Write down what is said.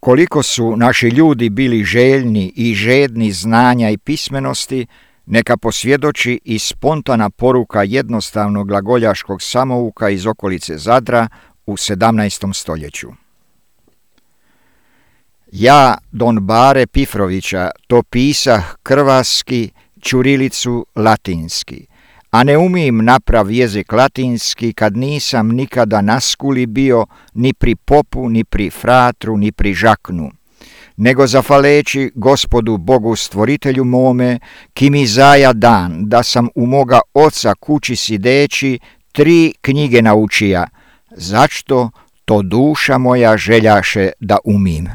Koliko su naši ljudi bili željni i žedni znanja i pismenosti, neka posvjedoči i spontana poruka jednostavnog glagoljaškog samouka iz okolice Zadra u 17. stoljeću. Ja, Don Bare Pifrovića, to pisah krvaski, ćurilicu latinski, a ne umim naprav jezik latinski kad nisam nikada na skuli bio ni pri popu, ni pri fratru, ni pri žaknu, nego zafaleći Gospodu Bogu stvoritelju mome, ki mi zaja dan, da sam u moga oca kući sideći 3 knjige naučija, zašto to duša moja željaše da umim.